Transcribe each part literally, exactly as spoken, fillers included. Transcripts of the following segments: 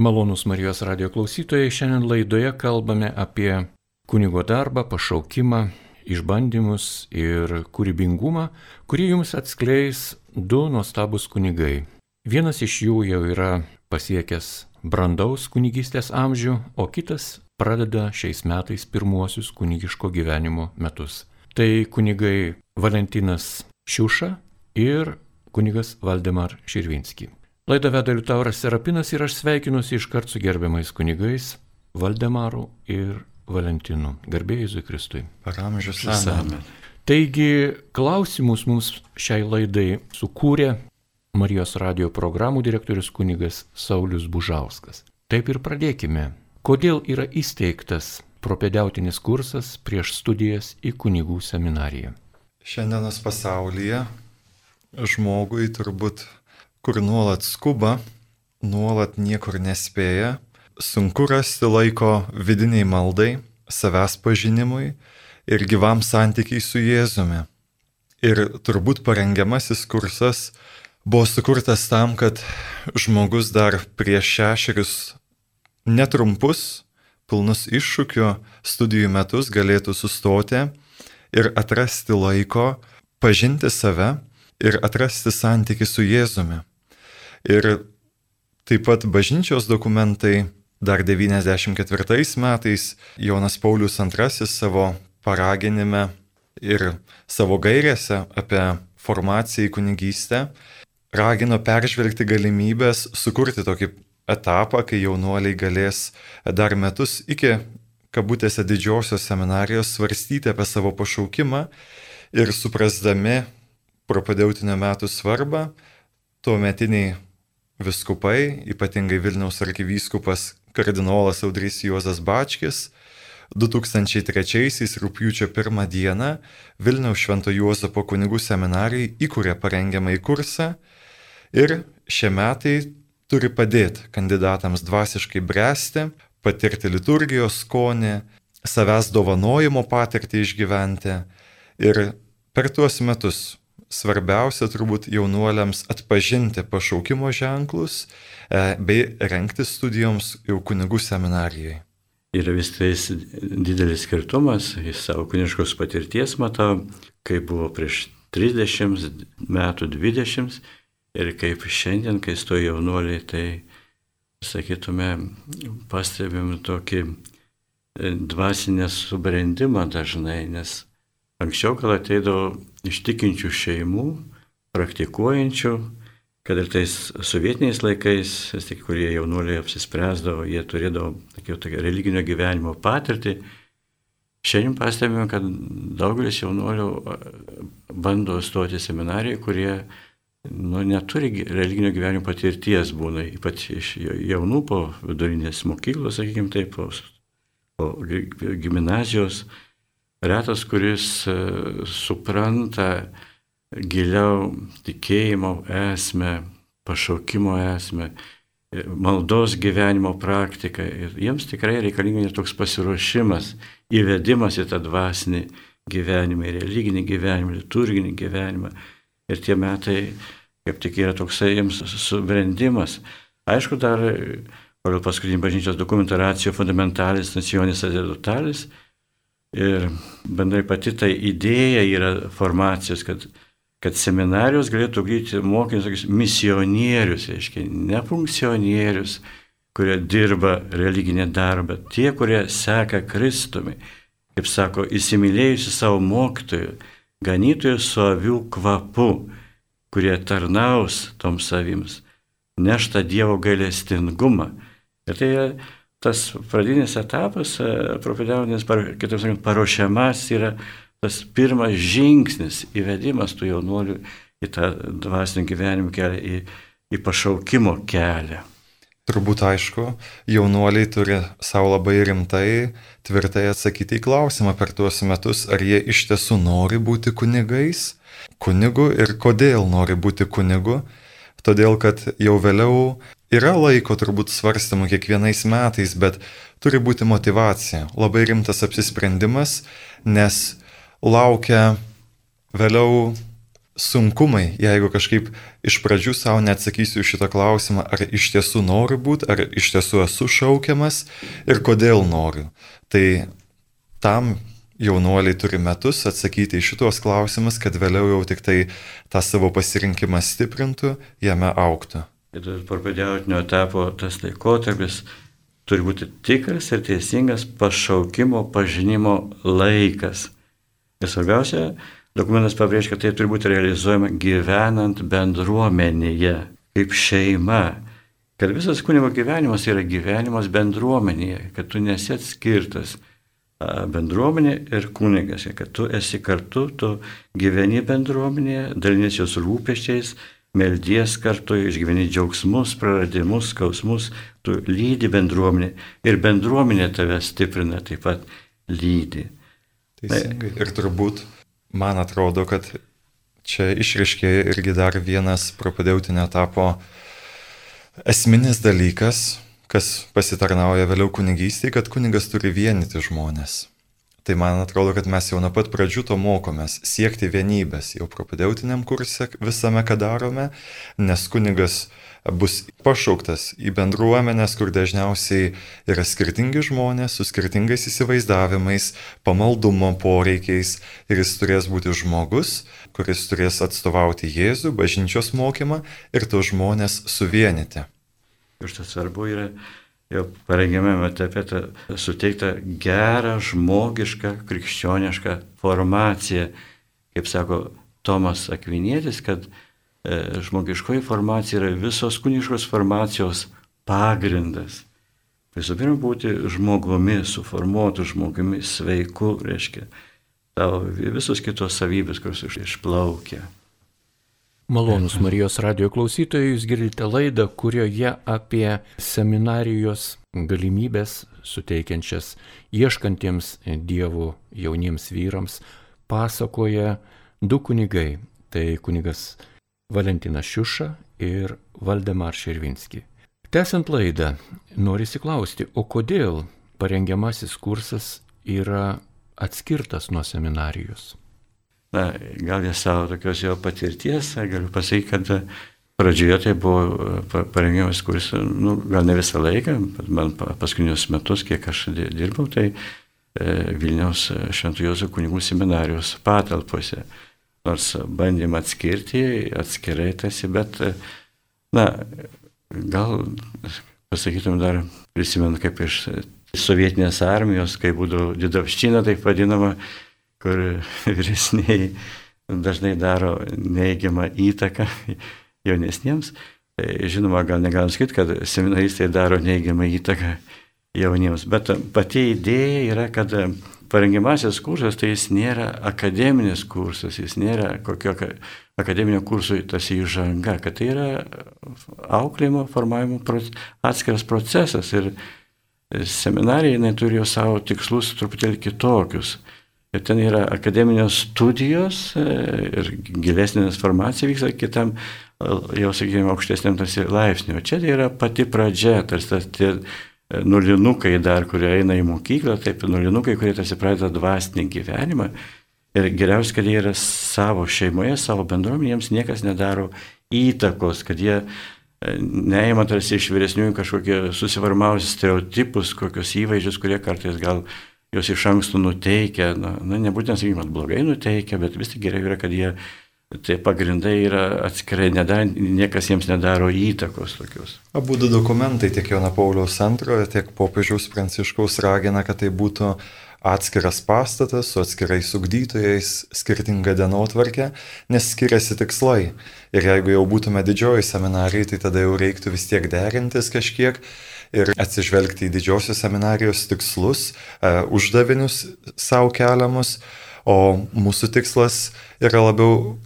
Malonūs Marijos radijo klausytojai, šiandien laidoje kalbame apie kunigo darbą, pašaukimą, išbandymus ir kūrybingumą, kurį jums atskleis du nuostabus kunigai. Vienas iš jų jau yra pasiekęs brandaus kunigystės amžių, o kitas pradeda šiais metais pirmuosius kunigiško gyvenimo metus. Tai kunigai Valentinas Šiuša ir kunigas Valdemar Širvinski. Laidą veda Liutauras Serapinas ir aš sveikinuosi iškart su gerbiamais kunigais Valdemaru ir Valentinu. Garbė Jėzui Kristui. Per amžius amen. Taigi klausimus mums šiai laidai sukūrė Marijos radijo programų direktorius kunigas Saulius Bužauskas. Taip ir pradėkime. Kodėl yra įsteigtas propedeutinis kursas prieš studijas į kunigų seminariją? Šiandienos pasaulyje žmogui turbūt, kur nuolat skuba, nuolat niekur nespėja, sunku rasti laiko vidiniai maldai, savęs pažinimui ir gyvam santykiai su Jėzumi. Ir turbūt parengiamasis kursas buvo sukurtas tam, kad žmogus dar prieš šešerius netrumpus, pilnus iššūkių studijų metus galėtų sustoti ir atrasti laiko, pažinti save ir atrasti santykį su Jėzumi. Ir taip pat bažnyčios dokumentai dar devyniasdešimt ketvirtais metais Jonas Paulius antrasis savo paraginime ir savo gairėse apie formaciją į kunigystę ragino peržvelgti galimybės sukurti tokį etapą, kai jaunuoliai galės dar metus iki kabutėse didžiosios seminarijos svarstyti apie savo pašaukimą ir suprasdami propedeutinio metų svarbą, tuometiniai viskupai, ypatingai Vilniaus arkivyskupas kardinolas Audrys Juozas Bačkis, du tūkstančiai trečiaisiais rugpjūčio pirmą dieną Vilniaus Švento Juozapo kunigų seminarijai įkūrė parengiamąjį kursą ir šie metai turi padėti kandidatams dvasiškai bręsti, patirti liturgijos skonį, savęs dovanojimo patirtį išgyventi ir per tuos metus svarbiausia turbūt jaunuoliams atpažinti pašaukimo ženklus bei rengti studijoms jau kunigų seminarijai. Yra vis tai didelis skirtumas, iš savo kuniškos patirties matau, kaip buvo prieš trisdešimt metų, dvidešimt ir kaip šiandien, kai stoja jaunuoliai, tai, sakytume, pastebim tokį dvasinę subrendimą dažnai, nes anksčiau, kad ateidavo iš tikinčių šeimų, praktikuojančių, kad ir tais sovietiniais laikais, kurie jaunuoliai apsispręsdavo, jie turėdavo tokio, tokio religinio gyvenimo patirtį. Šiandien pastebime, kad daugelis jaunuolių bando stoti į seminariją, kurie nu, neturi religinio gyvenimo patirties, būna ypač iš jaunų po vidurinės mokyklos, sakykime taip, po, po gimnazijos. Retas, kuris supranta giliau tikėjimo esmę, pašaukimo esmę, maldos gyvenimo praktiką. Ir jiems tikrai reikalingas toks pasiruošimas, įvedimas į tą dvasinį gyvenimą, religinį gyvenimą, liturginį gyvenimą. Ir tie metai, kaip tik yra toksai jiems subrendimas. Aišku, dar pagal paskutinį bažnyčios dokumentą ratio fundamentalis nacionis sacerdotalis. Ir bendrai pati ta idėja yra formacijos, kad, kad seminarijos galėtų ugdyti mokinius misionierius, reiškia, ne funkcionierius, kurie dirba religinį darbą, tie, kurie seka Kristumi, kaip sako, įsimylėjusi savo mokytojų, ganytojų su avių kvapu, kurie tarnaus toms avims, nešta Dievo gailestingumą. Ir tai yra tas pradinis etapas, propedeutinis, kitaip sakant, paruošiamas yra tas pirmas žingsnis, įvedimas tų jaunuolių į tą dvasinį gyvenimo kelią, į, į pašaukimo kelią. Turbūt aišku, jaunuoliai turi savo labai rimtai, tvirtai atsakyti į klausimą per tuos metus, ar jie iš tiesų nori būti kunigais, kunigu ir kodėl nori būti kunigu. Todėl, kad jau vėliau yra laiko turbūt svarstymų kiekvienais metais, bet turi būti motyvacija, labai rimtas apsisprendimas, nes laukia vėliau sunkumai, jeigu kažkaip iš pradžių savo neatsakysiu šitą klausimą, ar iš tiesų noriu būti, ar iš tiesų esu šaukiamas ir kodėl noriu. Tai tam jaunuoliai turi metus atsakyti į šitos klausimus, kad vėliau jau tik tai tą savo pasirinkimą stiprintų, jame augtų. Ir parpadėjautinio etapo tas laikotarpis turi būti tikras ir teisingas pašaukimo pažinimo laikas. Ir svarbiausia, dokumentas pabrėžia, kad tai turi būti realizuojama gyvenant bendruomenėje, kaip šeima. Kad visas kunigo gyvenimas yra gyvenimas bendruomenėje, kad tu nesi atskirtas bendruomenė ir kunigas, kad tu esi kartu, tu gyveni bendruomenėje, dalinies jos rūpesčiais, meldies kartu, išgyveni džiaugsmus, praradimus, skausmus, tu lydi bendruomenė ir bendruomenė tave stiprina, taip pat lydi. Teisingai. Ir turbūt man atrodo, kad čia išriškėja irgi dar vienas propadeutinio etapo esminis dalykas, kas pasitarnauja vėliau kunigystėje, kad kunigas turi vienyti žmonės. Tai man atrodo, kad mes jau nuo pat pradžių to mokomės, siekti vienybės jau propadeutiniam kurse visame, ką darome, nes kunigas bus pašauktas į bendruomenės, kur dažniausiai yra skirtingi žmonės su skirtingais įsivaizdavimais, pamaldumo poreikiais ir jis turės būti žmogus, kuris turės atstovauti Jėzų, bažnyčios mokymą ir tos žmonės suvienyti. Ir tas svarbu yra jau parengiamame etape suteikta gerą, žmogišką, krikščionišką formaciją. Kaip sako Tomas Akvinietis, kad e, žmogiškoji formacija yra visos kuniškos formacijos pagrindas. Visų pirma, būti žmogumi, suformuotų žmogumi, sveiku, reiškia, tavo visos kitos savybės, kurios išplaukia. Malonus Marijos radijo klausytojai, jūs girdite laidą, kurioje apie seminarijos galimybės suteikiančias ieškantiems Dievo jauniems vyrams pasakoja du kunigai. Tai kunigas Valentinas Šiuša ir Valdemar Šervinski. Tęsiant laidą, norisi klausti, o kodėl parengiamasis kursas yra atskirtas nuo seminarijos? Na, gal jie savo tokios jo patirties, galiu pasakyti, kad pradžioje tai buvo parengiamas kursas, nu, gal ne visą laiką, bet man paskutinius metus, kiek aš dirbau, tai e, Vilniaus Šventų Juozo kunigų seminarijos patalpose. Nors bandėm atskirti, atskirai tasi, bet, na, gal pasakytum dar, prisimenu, kaip iš sovietinės armijos, kai būdavo didovščina, taip vadinama, kur vyresniai dažnai daro neigiamą įtaką jaunesniems. Tai, žinoma, gal negalim sakyti, kad seminaristai daro neigiamą įtaką jauniems, bet pati idėja yra, kad parengiamasis kursas tai jis nėra akademinis kursas, jis nėra kokio akademinio kurso tas įžanga, kad tai yra auklėjimo, formavimo atskiras procesas ir seminarija jinai turi jau savo tikslus truputėlį kitokius. Ir ten yra akademinės studijos ir gilesnės formacija vyksta kitam, jau sakykime, aukštesniam tarsi laipsniu. Čia tai yra pati pradžia, tarsi tie nulinukai dar, kurie eina į mokyklą, taip nulinukai, kurie tarsi pradeda dvasinį gyvenimą. Ir geriausia, kad jie yra savo šeimoje, savo bendruomenėje, jiems niekas nedaro įtakos, kad jie neima tarsi iš vyresniųjų kažkokie susiformavusius stereotipus, kokius įvaizdžius, kurie kartais gal jos iš anksto nuteikia, na, na nebūtent, sakykime, blogai nuteikia, bet vis tik geriau yra, kad jie, tai pagrindai yra atskirai, nedar, niekas jiems nedaro įtakos tokios. Abu du dokumentai, tiek Jono Pauliaus antrojo, tiek popiežiaus Pranciškaus ragina, kad tai būtų atskiras pastatas su atskirais ugdytojais, skirtinga dienotvarkė, nes skiriasi tikslai. Ir jeigu jau būtume didžioji seminarijai, tai tada jau reiktų vis tiek derintis kažkiek ir atsižvelgti į didžiosios seminarijos tikslus, e, uždavinius savo keliamus, o mūsų tikslas yra labiau,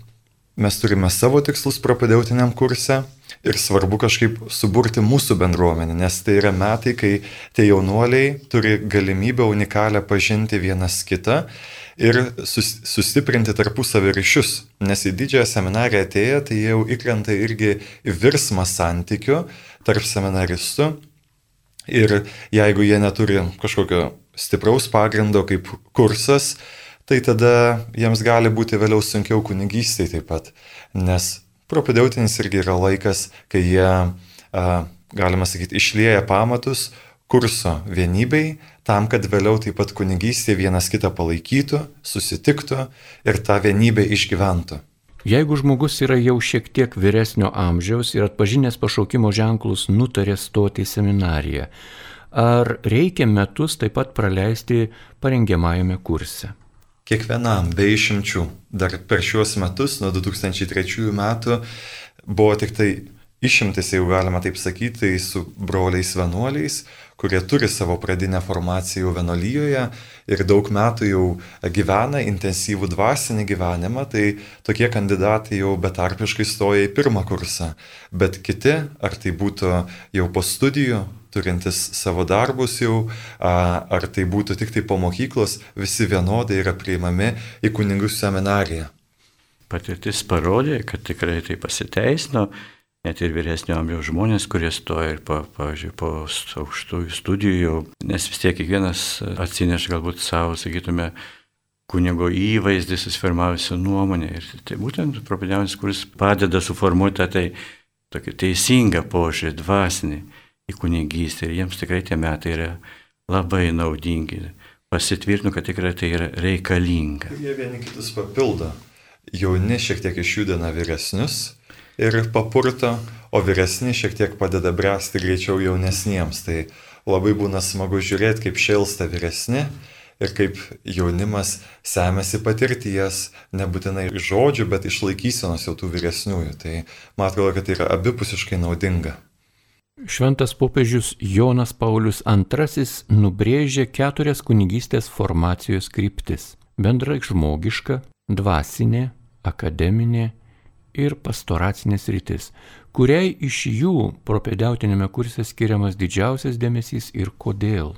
mes turime savo tikslus propadeutiniam kurse ir svarbu kažkaip suburti mūsų bendruomenę, nes tai yra metai, kai tie jaunuoliai turi galimybę unikalią pažinti vienas kitą ir sus, sustiprinti tarpusavio ryšius, nes į didžiąją seminariją atėję, tai jau įkrenta irgi į virsmą santykių tarp seminaristų. Ir jeigu jie neturi kažkokio stipraus pagrindo kaip kursas, tai tada jiems gali būti vėliau sunkiau kunigystėje taip pat, nes propedeutinis irgi yra laikas, kai jie, galima sakyti, išlieja pamatus kurso vienybei, tam, kad vėliau taip pat kunigystėje vienas kitą palaikytų, susitiktų ir tą vienybę išgyventų. Jeigu žmogus yra jau šiek tiek vyresnio amžiaus ir atpažinęs pašaukimo ženklus nutarė stoti į seminariją, ar reikia metus taip pat praleisti parengiamajame kurse? Kiekvienam be išimčių. Dar per šiuos metus, nuo du tūkstančiai trečiųjų metų, buvo tik tai išimtis, jeigu galima taip sakyti, tai su broliais vienuoliais, kurie turi savo pradinę formaciją jau vienuolyjoje ir daug metų jau gyvena intensyvų dvasinį gyvenimą, tai tokie kandidatai jau betarpiškai stoja į pirmą kursą. Bet kiti, ar tai būtų jau po studijų, turintis savo darbus jau, ar tai būtų tik tai po mokyklos, visi vienodai yra priimami į kunigų seminariją. Patirtis parodė, kad tikrai tai pasiteisino, net ir vyresnio amžiaus žmonės, kurie stoja ir po, pavyzdžiui, po aukštųjų studijų, nes vis tiek kiekvienas atsineš galbūt savo, sakytume, kunigo įvaizdį, susiformavusią nuomonę. Ir tai būtent propedeutinis, kuris padeda suformuoti tą tai, tokį teisingą požiūrį, dvasinį į kunigystę. Ir jiems tikrai tie metai yra labai naudingi. Pasitvirtinu, kad tikrai tai yra reikalinga. Jie vieni kitus papildo. Jauni šiek tiek išjudina vyresnius ir papurto, o vyresni šiek tiek padeda bręsti greičiau jaunesniems. Tai labai būna smagu žiūrėti, kaip šėlsta vyresni ir kaip jaunimas semėsi patirties, nebūtinai iš žodžių, bet iš laikysenos jau tų vyresniųjų. Tai man atrodo, kad tai yra abipusiškai naudinga. Šventas popiežius Jonas Paulius antrasis nubrėžė keturias kunigystės formacijos kryptis – bendrai žmogiška, dvasinė, akademinė ir pastoracinė sritis, kuriai iš jų propedeutinėme kurse skiriamas didžiausias dėmesys ir kodėl.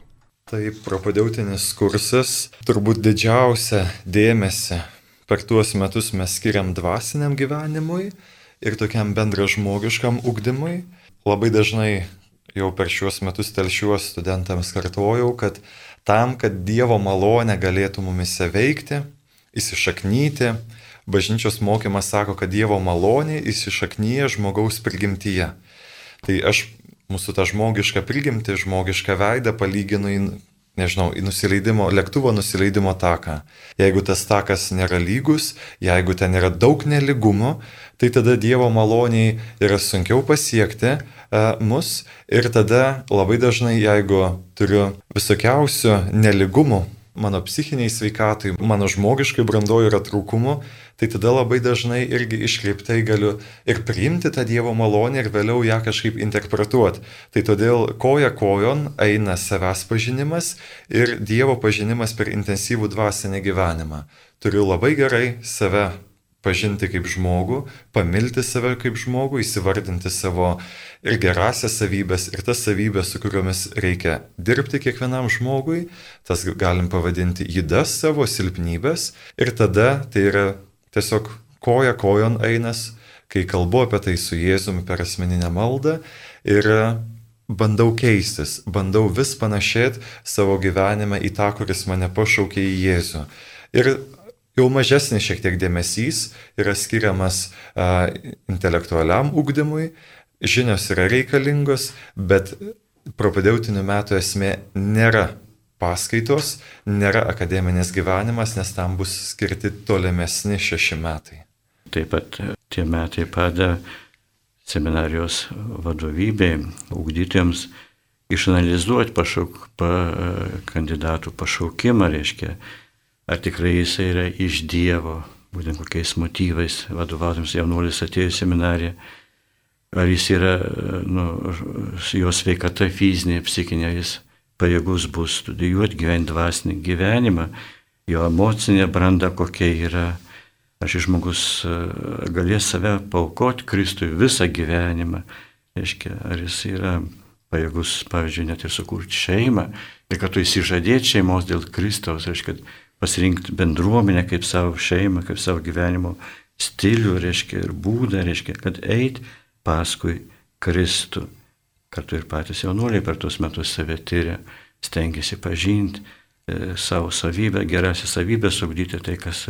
Taip, propedeutinis kursas turbūt didžiausią dėmesį per tuos metus mes skiriam dvasiniam gyvenimui ir tokiam bendražmogiškam ugdymui. Labai dažnai jau per šiuos metus telšiuos studentams kartojau, kad tam, kad Dievo malonė galėtų mumise veikti, įsišaknyti, bažnyčios mokymas sako, kad Dievo malonė įsišaknyja žmogaus prigimtyje. Tai aš mūsų tą žmogišką prigimtį, žmogišką veidą palyginu į, nežinau, į nusileidimo, lėktuvo nusileidimo taką. Jeigu tas takas nėra lygus, jeigu ten yra daug nelygumų, tai tada Dievo maloniai yra sunkiau pasiekti uh, mus ir tada labai dažnai, jeigu turiu visokiausių nelygumų mano psichiniai sveikatai, mano žmogiškai brandoje yra trūkumų, tai tada labai dažnai irgi iškreiptai galiu ir priimti tą Dievo malonę ir vėliau ją kažkaip interpretuoti. Tai todėl koja kojon eina savęs pažinimas ir Dievo pažinimas per intensyvų dvasinį gyvenimą. Turiu labai gerai save pažinti kaip žmogų, pamilti save kaip žmogų, įsivardinti savo ir gerasias savybės, ir tas savybės, su kuriomis reikia dirbti kiekvienam žmogui, tas galim pavadinti ydas savo silpnybės, ir tada tai yra tiesiog koja kojon einas, kai kalbu apie tai su Jėzumi per asmeninę maldą ir bandau keistis, bandau vis panašėti savo gyvenime į tą, kuris mane pašaukė į Jėzų. Ir jau mažesnis šiek tiek dėmesys yra skiriamas a, intelektualiam ugdymui, žinios yra reikalingos, bet propedeutinių metų esmė nėra paskaitos, nėra akademinis gyvenimas, nes tam bus skirti tolimesni šeši metai. Taip pat tie metai padeda seminarijos vadovybei, ugdytėms išanalizuoti pašauk, pa, kandidatų pašaukimą, reiškia, ar tikrai jisai yra iš Dievo, būtent kokiais motyvais vadovautams jaunuolis atėjo į seminariją, ar jis yra, nu, jo sveikata fizinė, psichinė, jis pajėgus bus studijuoti, gyventi dvasinį gyvenimą, jo emocinė branda kokia yra, ar šis žmogus galės save paaukoti Kristui visą gyvenimą, reiškia, ar jis yra pajėgus, pavyzdžiui, net ir sukurti šeimą, ir kad tu įsižadėti šeimos dėl Kristaus, reiškia, pasirinkti bendruomenę kaip savo šeimą, kaip savo gyvenimo stilių, reiškia, ir būdą, reiškia, kad eit paskui Kristų. Kartu ir patys jaunuoliai per tuos metus save tyria, stengiasi pažinti, savo savybę, geriausią savybę sugdyti tai, kas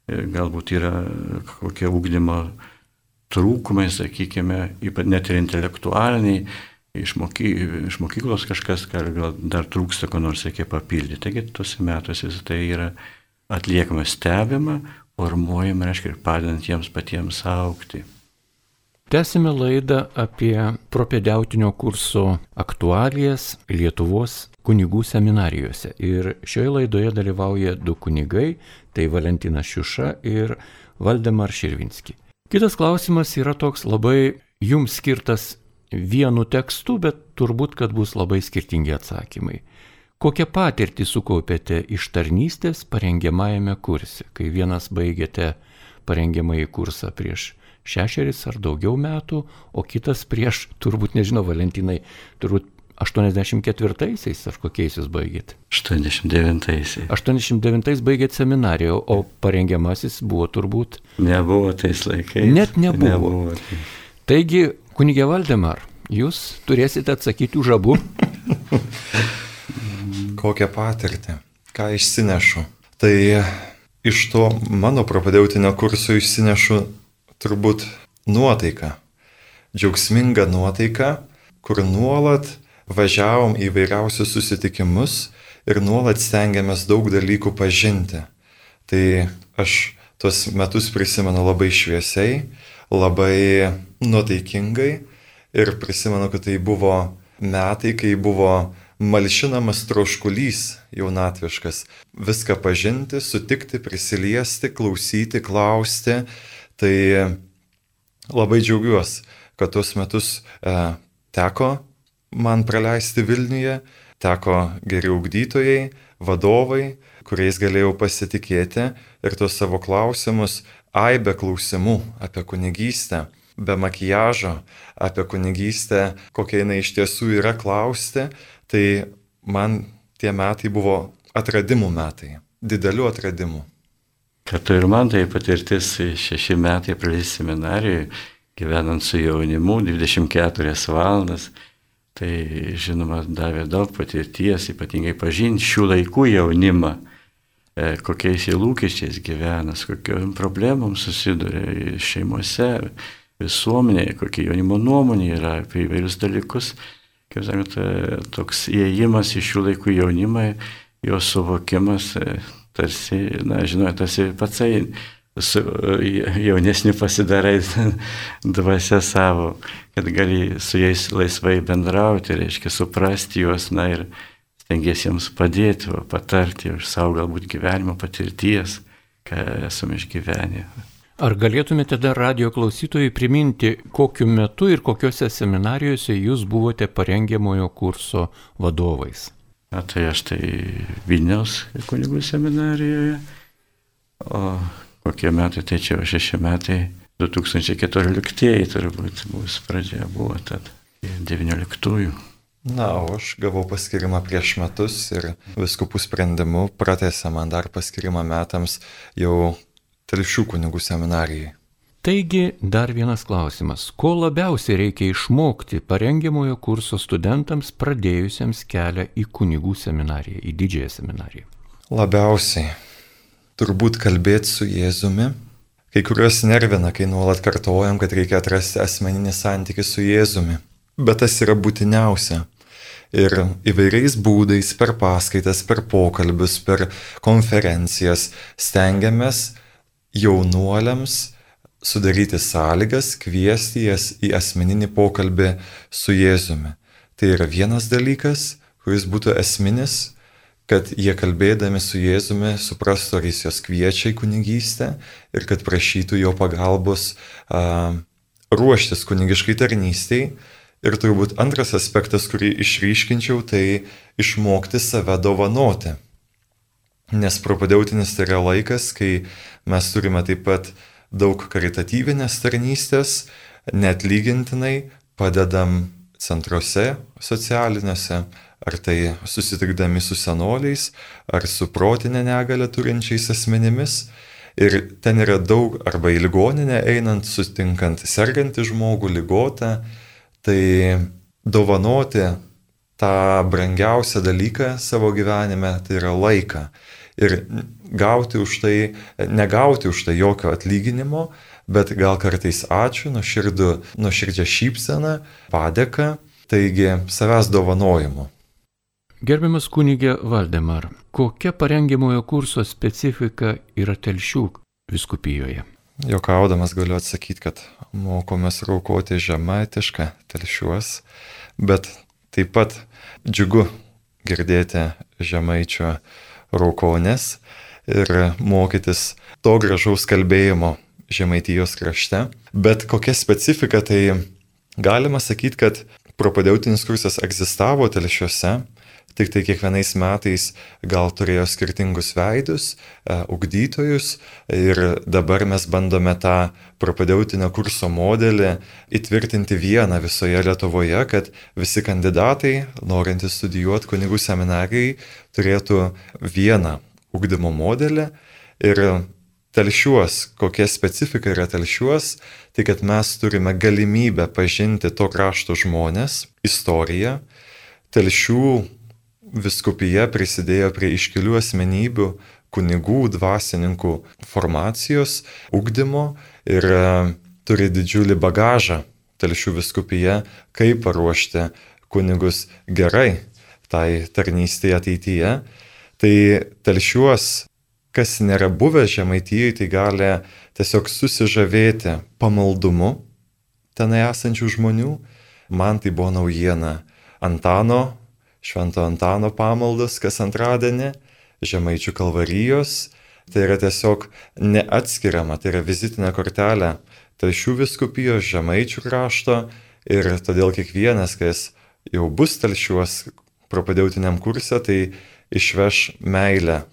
galbūt yra kokie ugdymo trūkumai, sakykime, net ir intelektualiniai, iš, moky, iš mokyklos kažkas, gal dar trūksta, ko nors reikia papildyti. Taigi tuose metuose visą tai yra atliekama, stebima, formuojama, reiškia, ir padedant jiems patiems augti. Tęsime laidą apie propedeutinio kurso aktualijas Lietuvos kunigų seminarijose. Ir šioje laidoje dalyvauja du kunigai, tai Valentinas Šiuša ir Valdemar Širvinski. Kitas klausimas yra toks labai jums skirtas vienu tekstu, bet turbūt, kad bus labai skirtingi atsakymai. Kokią patirtį sukaupėte iš tarnystės parengiamajame kurse, kai vienas baigėte parengiamąjį kursą prieš šešeris ar daugiau metų, o kitas prieš, turbūt nežinau, Valentinai, turbūt aštuoniasdešimt ketvirtaisiais ar kokiais jūs baigėte? aštuoniasdešimt devintaisiais. aštuoniasdešimt devintais baigėte seminariją, o parengiamasis buvo turbūt... Nebuvo tais laikais. Net nebuvo. nebuvo tai. Taigi, kunigė Valdemar, jūs turėsite atsakyti už abu. Kokią patirtį, ką išsinešu. Tai iš to mano propedeutinio kurso išsinešu turbūt nuotaiką, džiaugsmingą nuotaiką, kur nuolat važiavom į vairiausius susitikimus ir nuolat stengiamės daug dalykų pažinti. Tai aš tuos metus prisimenu labai šviesiai, labai nuotaikingai ir prisimenu, kad tai buvo metai, kai buvo malšinamas troškulys jaunatviškas. Viską pažinti, sutikti, prisiliesti, klausyti, klausti. Tai labai džiaugiuosi, kad tuos metus e, teko man praleisti Vilniuje, teko geri ugdytojai, vadovai, kuriais galėjau pasitikėti ir tuos savo klausimus, aibę klausimų apie kunigystę, be makiažo, apie kunigystę, kokia jinai iš tiesų yra klausti, tai man tie metai buvo atradimų metai, didelių atradimų. Kartu ir man tai patirtis šeši metai praleisti seminarijoje, gyvenant su jaunimu, dvidešimt keturias valandas, tai žinoma davė daug patirties, ypatingai pažinti šių laikų jaunimą, kokiais jie lūkesčiais gyvena, kokiom problemom susiduria šeimose, visuomenėje, kokia jaunimo nuomonė yra apie įvairius dalykus. Kaip sakant, toks įėjimas į šių laikų jaunimą, jo suvokimas, tarsi, na, žinoma, tarsi patsai su jaunesniu pasidarai dvasia savo, kad gali su jais laisvai bendrauti, reiškia suprasti juos, na ir stengiesi jiems padėti, patarti iš savo galbūt gyvenimo patirties, ką esame išgyvenę. Ar galėtumėte dar radijo klausytojai priminti, kokiu metu ir kokiuose seminarijose jūs buvote parengiamojo kurso vadovais? Na, tai aš tai Vilniaus kunigų seminarijoje, o kokie metai, tai čia šeši metai, du tūkstančiai keturioliktieji turbūt bus pradžia buvo, tad devynioliktųjų. Na, o aš gavau paskirimą prieš metus ir vyskupų sprendimu pratęsė man dar paskirimą metams jau Telšių kunigų seminarijai. Taigi, dar vienas klausimas. Ko labiausiai reikia išmokti parengiamojo kurso studentams pradėjusiems kelią į kunigų seminariją, į didžiąją seminariją? Labiausiai turbūt kalbėti su Jėzumi. Kai kurios nervina, kai nuolat kartojam, kad reikia atrasti asmeninį santykį su Jėzumi. Bet tas yra būtiniausia. Ir įvairiais būdais, per paskaitas, per pokalbius, per konferencijas stengiamės jaunuoliams sudaryti sąlygas, kviesti jas į asmeninį pokalbį su Jėzumi. Tai yra vienas dalykas, kuris būtų esminis, kad jie kalbėdami su Jėzumi suprastų, ar jis jos kviečia į kunigystę ir kad prašytų jo pagalbos a, ruoštis kunigiškai tarnystei. Ir turbūt antras aspektas, kurį išryškinčiau, tai išmokti save dovanoti. Nes propedeutinis tai yra laikas, kai mes turime taip pat daug karitatyvinės tarnystės, neatlygintinai padedam centruose socialiniuose, ar tai susitikdami su senoliais, ar su protinę negalią turinčiais asmenimis. Ir ten yra daug, arba į ligoninę einant, sutinkant sergantį žmogų, ligotą, tai dovanoti tą brangiausią dalyką savo gyvenime, tai yra laiką. Ir gauti už tai, negauti už tai jokio atlyginimo, bet gal kartais ačiū, nuoširdų, nuoširdžią šypseną, padėką, taigi savęs dovanojimu. Gerbiamas kunigė Valdemar, kokia parengiamojo kurso specifika yra Telšių vyskupijoje? Jokaudamas galiu atsakyti, kad mokomės raukoti žemaitišką Telšiuos, bet taip pat džiugu girdėti žemaičio raukonės ir mokytis to gražaus kalbėjimo Žemaitijos krašte. Bet kokia specifika, tai galima sakyti, kad propadeutinis kursas egzistavo Telšiuose, tik tai kiekvienais metais gal turėjo skirtingus veidus, ugdytojus ir dabar mes bandome tą propadeutinio kurso modelį įtvirtinti vieną visoje Lietuvoje, kad visi kandidatai, norintys studijuoti kunigų seminarijai, turėtų vieną ugdymo modelį. Ir Telšiuos, kokia specifika yra Telšiuos, tai kad mes turime galimybę pažinti to krašto žmonės, istoriją. Telšių vyskupija prisidėjo prie iškilių asmenybių, kunigų, dvasininkų formacijos, ugdymo ir turi didžiulį bagažą Telšių vyskupija, kaip paruošti kunigus gerai tai tarnystėje ateityje. Tai Telšiuos, kas nėra buvę Žemaitijoje, tai gali tiesiog susižavėti pamaldumu tenai esančių žmonių. Man tai buvo naujiena. Antano, Švento Antano pamaldos kas antradienį, Žemaičių kalvarijos. Tai yra tiesiog neatskiriama, tai yra vizitinė kortelė Telšių vyskupijos, Žemaičių krašto ir todėl kiekvienas, kas jau bus Telšiuos propadeutiniam kurse, tai išveš meilę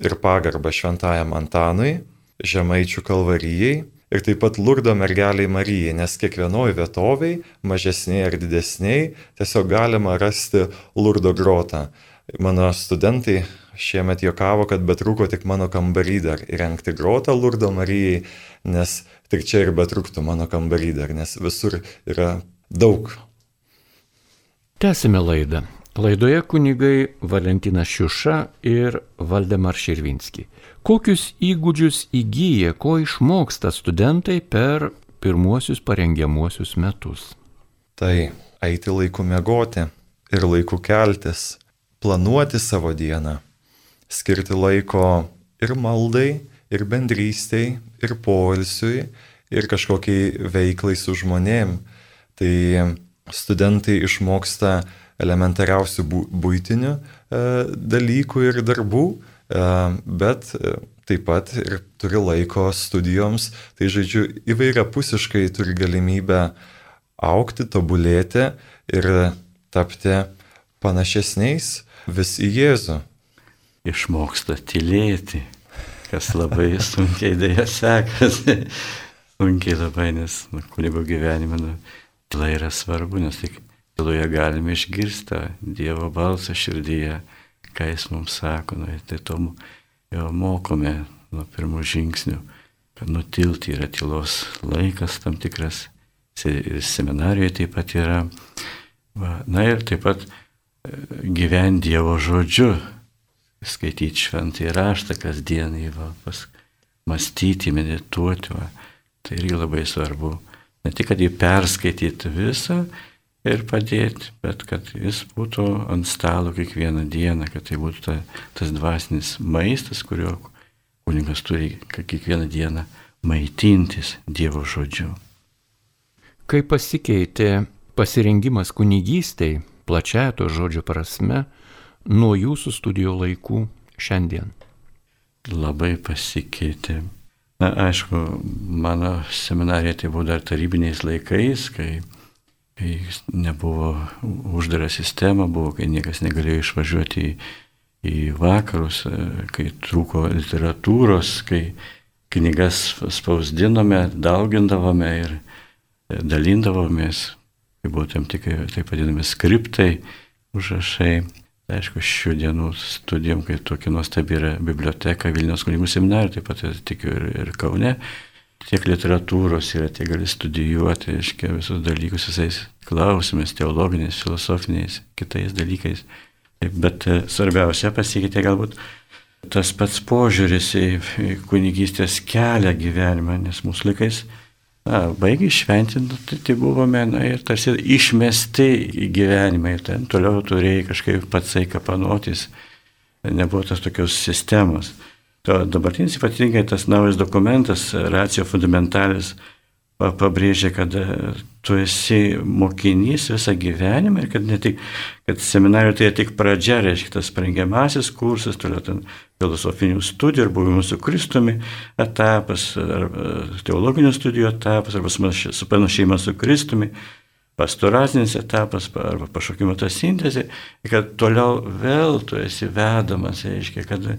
ir pagarbą Šventajam Antanui, Žemaičių kalvarijai ir taip pat Lurdo mergeliai Marijai, nes kiekvienoj vietoviai, mažesniai ar didesniai, tiesiog galima rasti Lurdo grotą. Mano studentai šiemet juokavo, kad betrūko tik mano kambarį dar įrengti grotą Lurdo Marijai, nes tik čia ir betrūktų mano kambarį dar, nes visur yra daug. Tęsime laidą. Laidoje kunigai Valentinas Šiuša ir Valdemar Širvinski. Kokius įgūdžius įgyja, ko išmoksta studentai per pirmuosius parengiamuosius metus? Tai eiti laiku miegoti ir laiku keltis, planuoti savo dieną, skirti laiko ir maldai, ir bendrystei, ir poilsiui, ir kažkokiai veiklai su žmonėm. Tai studentai išmoksta elementariausių būtinių e, dalykų ir darbų, e, bet e, taip pat ir turi laiko studijoms, tai žodžiu įvairiapusiškai turi galimybę augti, tobulėti ir tapti panašesniais vis į Jėzų. Išmoksta tylėti, kas labai sunkiai dėja sekasi, sunkiai labai, nes nu, kunigo gyvenime nu, tyla yra svarbu, nes tik tyloje galime išgirsti Dievo balsą širdyje, ką Jis mums sako. Nu, tai to jau mokome nuo pirmų žingsnių, kad nutilti yra tylos laikas tam tikras, ir seminarijoje taip pat yra. Va, na ir taip pat gyventi Dievo žodžiu, skaityti šventąjį raštą kasdienai, va, mąstyti, medituoti. Va. Tai irgi labai svarbu. Ne tik, kad jį perskaityti visą, ir padėti, bet kad jis būtų ant stalo kiekvieną dieną, kad tai būtų ta, tas dvasinis maistas, kurio kunigas turi kiekvieną dieną maitintis Dievo žodžiu. Kaip pasikeitė pasirengimas kunigystei, plačiaja to žodžio prasme, nuo jūsų studijų laikų šiandien? Labai pasikeitė. Na, aišku, mano seminarija tai buvo dar tarybiniais laikais, kai kai nebuvo uždara sistema, buvo, kai niekas negalėjo išvažiuoti į, į vakarus, kai trūko literatūros, kai knygas spausdinome, daugindavome ir dalindavomės, kai buvo tam tikrai, taip vadinami, skriptai, užrašai. Aišku, šių dienų studijom, kai tokia nuostabi yra biblioteka Vilniaus kunigų seminarijoje, taip pat tikiu ir, ir Kaune, tiek literatūros yra, tiek gali studijuoti, reiškia, visus dalykus visais klausimais, teologiniais, filosofiniais, kitais dalykais. Bet svarbiausia pasikeitė galbūt tas pats požiūris į kunigystės kelią gyvenimą, nes mūsų laikais na, baigiai šventinti, tai, tai buvome na, ir tarsi išmesti į gyvenimą ir ten toliau turėjai kažkaip patsai kapanotis, nebuvo tas tokios sistemos. To dabartinis ypatingai tas naujas dokumentas, Ratio Fundamentalis, pabrėžia, kad tu esi mokinys visą gyvenimą ir kad ne tik, kad seminarijoje tai tik pradžia, reiškia tas parengiamasis kursas, toliau ten filosofinių studijų ir buvimo su Kristumi etapas, ar teologinių studijų etapas, arba supanašėjimas su Kristumi, pastoracinis etapas, arba pašaukimo ta sintezė, kad toliau vėl tu esi vedamas, reiškia, kad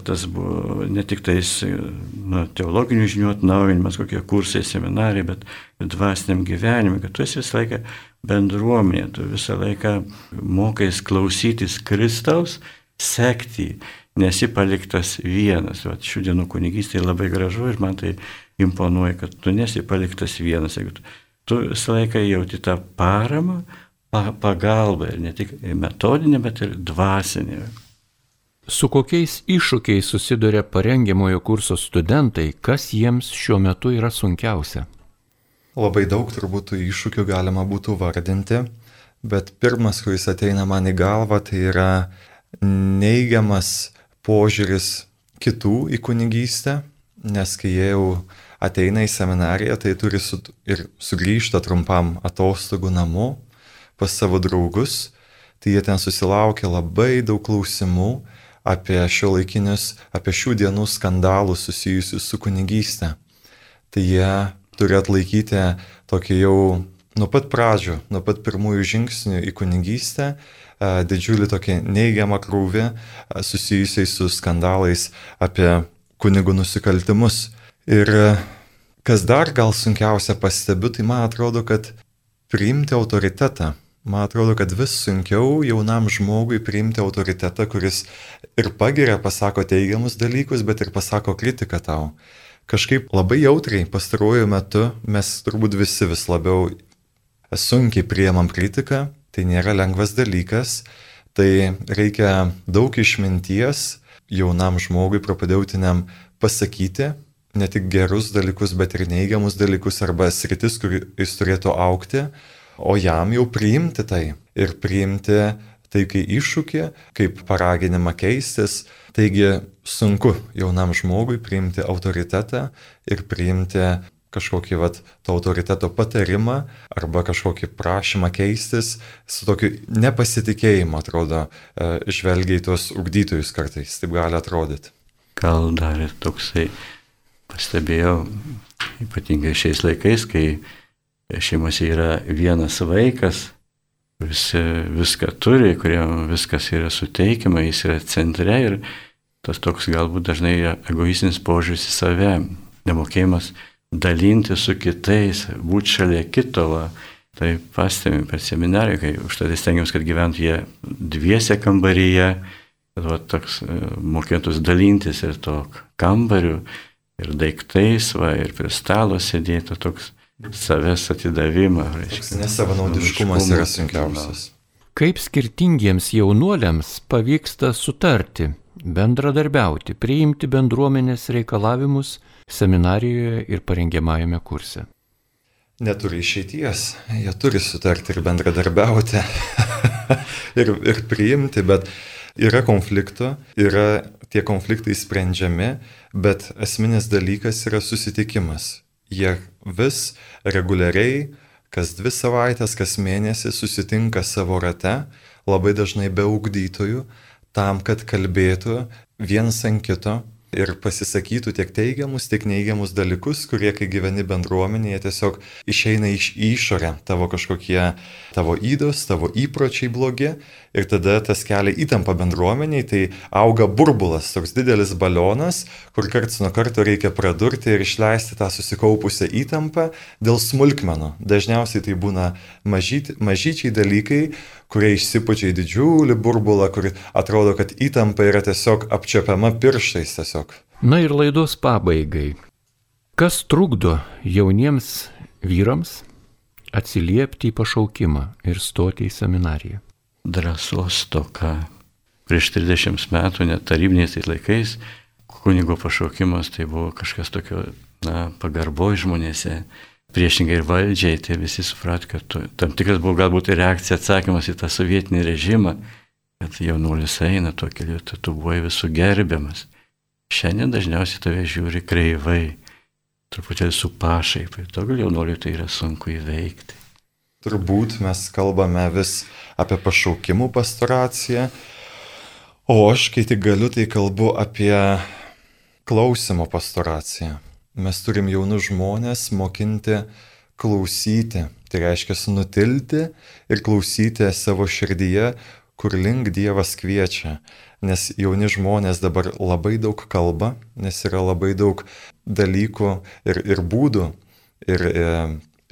tas buvo ne tik tais na, teologinių žinių atnaujinimas, kokie kursai, seminarai, bet dvasiniam gyvenimui, kad tu esi visą laiką bendruomenė, tu visą laiką mokais klausytis Kristaus, sekti, nesi paliktas vienas. Vat, šių dienų kunigystė labai gražu ir man tai imponuoja, kad tu nesi paliktas vienas. Tu, tu visą laiką jauti tą paramą, pagalbą ir ne tik metodinę, bet ir dvasinę. Su kokiais iššūkiais susiduria parengiamojo kurso studentai, kas jiems šiuo metu yra sunkiausia? Labai daug turbūt tų iššūkių galima būtų vardinti, bet pirmas, kuris ateina man į galvą, tai yra neigiamas požiūris kitų į kunigystę, nes kai jie jau ateina į seminariją, tai turi su, ir sugrįžta trumpam atostogų namo pas savo draugus, tai jie ten susilaukia labai daug klausimų apie šiuolaikinius, apie šių dienų skandalus susijusius su kunigystė. Tai jie turi atlaikyti tokį jau nuo pat pradžių, nuo pat pirmųjų žingsnių į kunigystę, didžiulį tokį neigiamą krūvį susijusiai su skandalais apie kunigų nusikaltimus. Ir kas dar gal sunkiausia pastebiu, tai man atrodo, kad priimti autoritetą. Man atrodo, kad vis sunkiau jaunam žmogui priimti autoritetą, kuris ir pagiria, pasako teigiamus dalykus, bet ir pasako kritiką tau. Kažkaip labai jautriai pastaruoju metu mes turbūt visi vis labiau sunkiai priemam kritiką, tai nėra lengvas dalykas, tai reikia daug išminties jaunam žmogui propedeutiniam pasakyti ne tik gerus dalykus, bet ir neigiamus dalykus arba sritis, kur jis turėtų augti, o jam jau priimti tai ir priimti tai kaip iššūkį, kaip paraginimą keistis. Taigi sunku jaunam žmogui priimti autoritetą ir priimti kažkokį vat, to autoriteto patarimą arba kažkokį prašymą keistis su tokiu nepasitikėjimu, atrodo, žvelgiai tuos ugdytojus kartais, taip gali atrodyti. Gal dar ir toksai pastebėjau, ypatingai šiais laikais, kai šeimose yra vienas vaikas, kuris viską turi, kuriam viskas yra suteikiama, jis yra centre ir tas toks galbūt dažnai egoistinis požiūris į save, nemokėjimas dalinti su kitais, būti šalia kito. Va. Tai pastebim per seminariją, kai už tai stengiamės, kad gyventų jie dviese kambaryje, kad va, toks mokėtus dalintis ir to kambariu, ir daiktais, va, ir prie stalo sėdėtų toks savęs atidavimą. Nesavanaudiškumas yra sunkiausias. Kaip skirtingiems jaunuoliams pavyksta sutarti, bendradarbiauti, priimti bendruomenės reikalavimus seminarijoje ir parengiamajame kurse? Neturi išeities, jie turi sutarti ir bendradarbiauti ir, ir priimti, bet yra konfliktų, yra tie konfliktai sprendžiami, bet esminis dalykas yra susitikimas. Jie vis reguliariai, kas dvi savaitės, kas mėnesį susitinka savo rate, labai dažnai be ugdytojų, tam, kad kalbėtų vienas ant kito ir pasisakytų tiek teigiamus, tiek neigiamus dalykus, kurie, kai gyveni bendruomenėje, tiesiog išeina iš išorę tavo kažkokie tavo ydos, tavo įpročiai blogi ir tada tas kelia įtampą bendruomeniai, tai auga burbulas, toks didelis balionas, kur karts nuo karto reikia pradurti ir išleisti tą susikaupusią įtampą dėl smulkmenų. Dažniausiai tai būna mažyti, mažyčiai dalykai, kurie išsipučia į didžiulį burbulą, kur atrodo, kad įtampa yra tiesiog apčiapiama pirštais tiesiog. Na ir laidos pabaigai. Kas trukdo jauniems vyrams atsiliepti į pašaukimą ir stoti į seminariją? Drąsos toka. Prieš trisdešimt metų, net tarybiniais laikais, kunigo pašaukimas tai buvo kažkas tokio, na, pagarboj žmonėse. Priešingai ir valdžiai, tai visi suprat, kad tu, tam tikras buvo galbūt reakcija, atsakymas į tą sovietinį režimą, kad jaunuolis eina tuo keliu, tai tu buvai visų gerbiamas. Šiandien dažniausiai tave žiūri kreivai, truputėlį su pašaipai. Daugelį jaunuolių tai yra sunku įveikti. Turbūt mes kalbame vis apie pašaukimų pastoraciją, o aš, kai tik galiu, tai kalbu apie klausimo pastoraciją. Mes turim jaunus žmonės mokinti klausyti, tai reiškia nutilti ir klausyti savo širdyje, kur link Dievas kviečia. Nes jauni žmonės dabar labai daug kalba, nes yra labai daug dalykų ir, ir būdų, ir,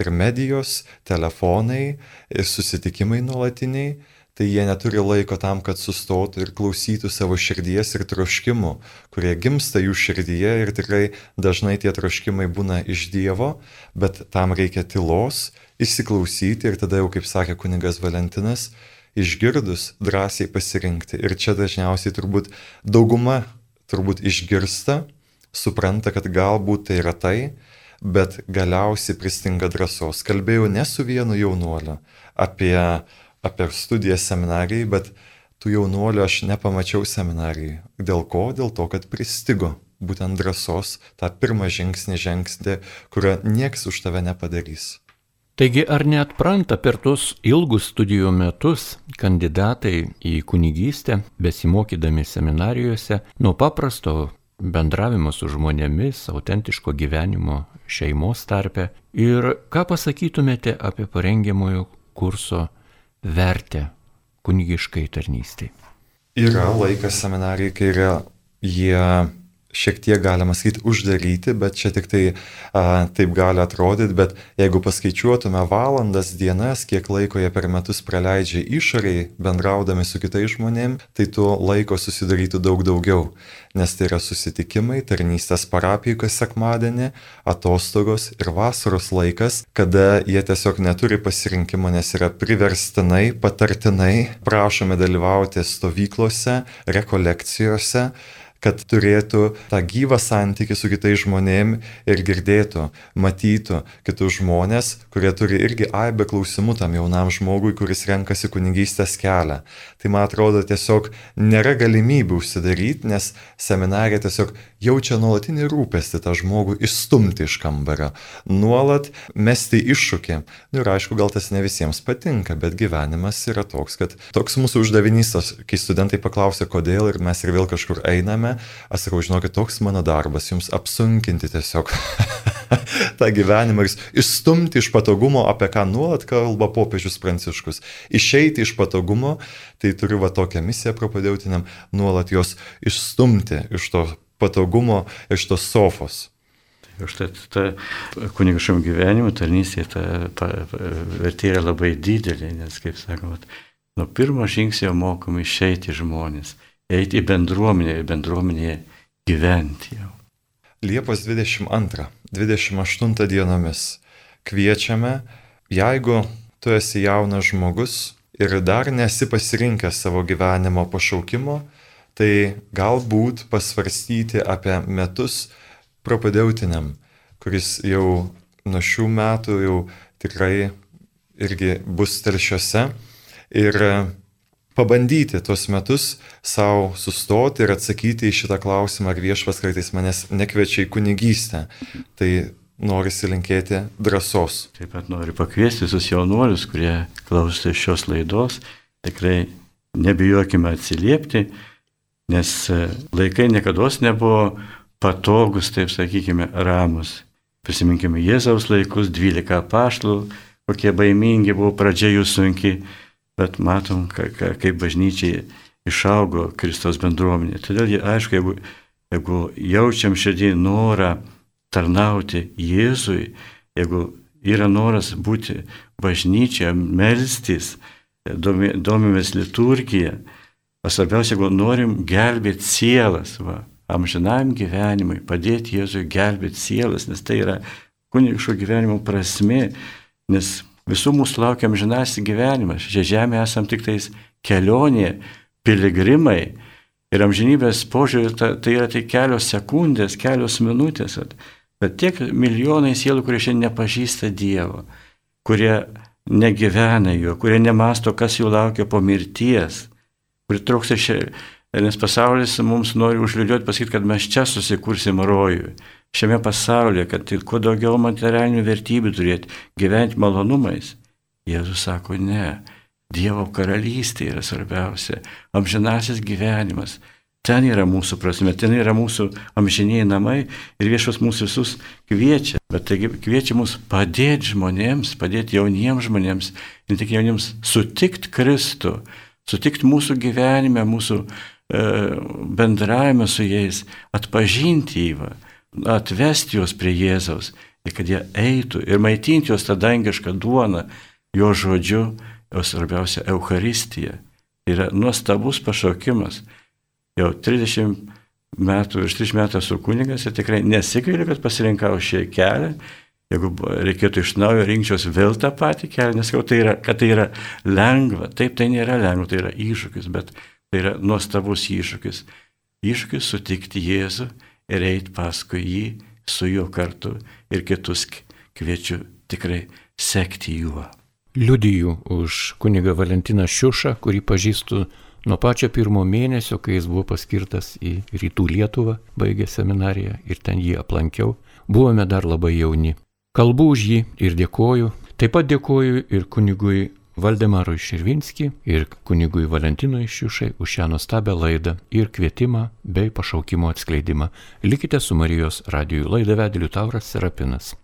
ir medijos, telefonai, ir susitikimai nuolatiniai. Tai jie neturi laiko tam, kad sustotų ir klausytų savo širdies ir troškimų, kurie gimsta jų širdyje ir tikrai dažnai tie troškimai būna iš Dievo, bet tam reikia tylos, įsiklausyti ir tada jau, kaip sakė kunigas Valentinas, išgirdus drąsiai pasirinkti. Ir čia dažniausiai turbūt dauguma turbūt išgirsta, supranta, kad galbūt tai yra tai, bet galiausiai pristinga drąsos. Kalbėjau ne su vienu jaunuoliu apie apie studijas seminarijai, bet tų jaunuolių aš nepamačiau seminarijai. Dėl ko? Dėl to, kad pristigo būtent drąsos tą pirmą žingsnį žengti, kurio nieks už tave nepadarys. Taigi ar neatpranta per tos ilgus studijų metus kandidatai į kunigystę, besimokydami seminarijose, nuo paprasto bendravimo su žmonėmis, autentiško gyvenimo šeimos tarpe? Ir ką pasakytumėte apie parengiamojo kurso vertę kunigiškai tarnystei? Yra laikas seminarijai, kai yra jie šiek tiek, galima sakyti, uždaryti, bet čia tik tai a, taip gali atrodyti, bet jeigu paskaičiuotume valandas, dienas, kiek laiko jie per metus praleidžia išoriai, bendraudami su kitais žmonėm, tai to laiko susidarytų daug daugiau, nes tai yra susitikimai, tarnystės parapijų kas sekmadienį, atostogos ir vasaros laikas, kada jie tiesiog neturi pasirinkimo, nes yra priverstinai, patartinai prašomi dalyvauti stovyklose, rekolekcijose, kad turėtų tą gyvą santykį su kitais žmonėm ir girdėtų, matytų kitus žmonės, kurie turi irgi aibę klausimų tam jaunam žmogui, kuris renkasi kunigystės kelią. Tai man atrodo tiesiog nėra galimybių užsidaryti, nes seminarija tiesiog jaučia nuolatinį rūpestį tą žmogų išstumti iš kambario, nuolat mesti iššūkį. Ir aišku, gal tas ne visiems patinka, bet gyvenimas yra toks, kad toks mūsų uždavinys, kai studentai paklausia, kodėl ir mes ir vėl kažkur einame, aš sakau, žinokit, toks mano darbas, jums apsunkinti tiesiog tą gyvenimą ir išstumti iš patogumo, apie ką nuolat kalba popiežius Pranciškus. Išeiti iš patogumo, tai turiu va tokią misiją propadeutiniam, nuolat jos išstumti iš to patogumo, iš tos sofos. Štai ta kunigiškam gyvenimui tarnystė, ta, ta vertė yra labai didelė, nes, kaip sakoma, nuo pirmo žingsnio mokomi išeiti žmonės, eiti į bendruomenę, į bendruomenėje gyventi jau. Liepos dvidešimt antrą dvidešimt aštuntą dienomis kviečiame, jeigu tu esi jaunas žmogus ir dar nesi pasirinkęs savo gyvenimo pašaukimo, tai galbūt pasvarstyti apie metus propadeutiniam, kuris jau nuo šių metų jau tikrai irgi bus telšiuose ir pabandyti tuos metus savo sustoti ir atsakyti į šitą klausimą, ar viešpats kartais manęs nekviečia į kunigystę. Tai norisi linkėti drąsos. Taip pat noriu pakviesti visus jaunuolius, kurie klausosi šios laidos, tikrai nebijokime atsiliepti, nes laikai niekados nebuvo patogus, taip sakykime, ramus. Prisiminkime Jėzaus laikus, dvylika apaštalų, kokie baimingi buvo, pradžia jų sunki, bet matom, kaip bažnyčiai išaugo Kristaus bendruomenė. Todėl, aišku, jeigu, jeigu jaučiam širdį norą tarnauti Jėzui, jeigu yra noras būti bažnyčioje, melstis, domimės liturgiją, o svarbiausia, jeigu norim gelbėti sielas, va, amžinam gyvenimui, padėti Jėzui gelbėti sielas, nes tai yra kunigiško gyvenimo prasmė, nes visų mūsų laukia amžinasis gyvenimas. Šią žemę esam tik tais kelionė, piligrimai ir amžinybės požiūrį ta, tai yra tai kelios sekundės, kelios minutės. Bet tiek milijonai sielų, kurie šiandien nepažįsta Dievo, kurie negyvena jo, kurie nemasto, kas jų laukia po mirties, kurie trūksta šiandien. Nes pasaulis mums nori užliūliuoti, pasakyti, kad mes čia susikursim rojų. Šiame pasaulyje, kad tai kuo daugiau materialinių vertybių turėti, gyventi malonumais. Jėzus sako, ne, Dievo karalystė yra svarbiausia, amžinasis gyvenimas. Ten yra mūsų prasme, ten yra mūsų amžiniai namai ir viešas mūsų visus kviečia. Bet taigi kviečia mus padėti žmonėms, padėti jauniems žmonėms, ne tik jauniems, sutikti Kristų, sutikti mūsų gyvenime, mūsų e, bendravime su jais, atpažinti jį, atvesti juos prie Jėzaus ir kad jie eitų ir maitinti juos tą dangišką duoną, jo žodžiu, o svarbiausia Eucharistija. Tai yra nuostabus pašaukimas. Jau trisdešimt metų, virš trisdešimt metų esu kunigas ir tikrai nesigailiu, kad pasirinkau šį kelią. Jeigu reikėtų iš naujo rinkčiaus vėl tą patį kelią, nes tai yra, kad tai yra lengva. Taip, tai nėra lengva, tai yra iššūkis, bet tai yra nuostabus iššūkis. Iššūkis sutikti Jėzų ir eiti paskui jį, su juo kartu ir kitus kviečiu tikrai sekti juo. Liudiju už kunigą Valentiną Šiušą, kurį pažįstu nuo pačio pirmo mėnesio, kai jis buvo paskirtas į Rytų Lietuvą, baigė seminariją ir ten jį aplankiau. Buvome dar labai jauni. Kalbu už jį ir dėkoju. Taip pat dėkoju ir kunigui Valdemarui Širvinskį ir kunigui Valentinui Šiušai už šią nuostabią laidą ir kvietimą bei pašaukimo atskleidimą. Likite su Marijos radiju. Laidą vedė Liutauras Serapinas.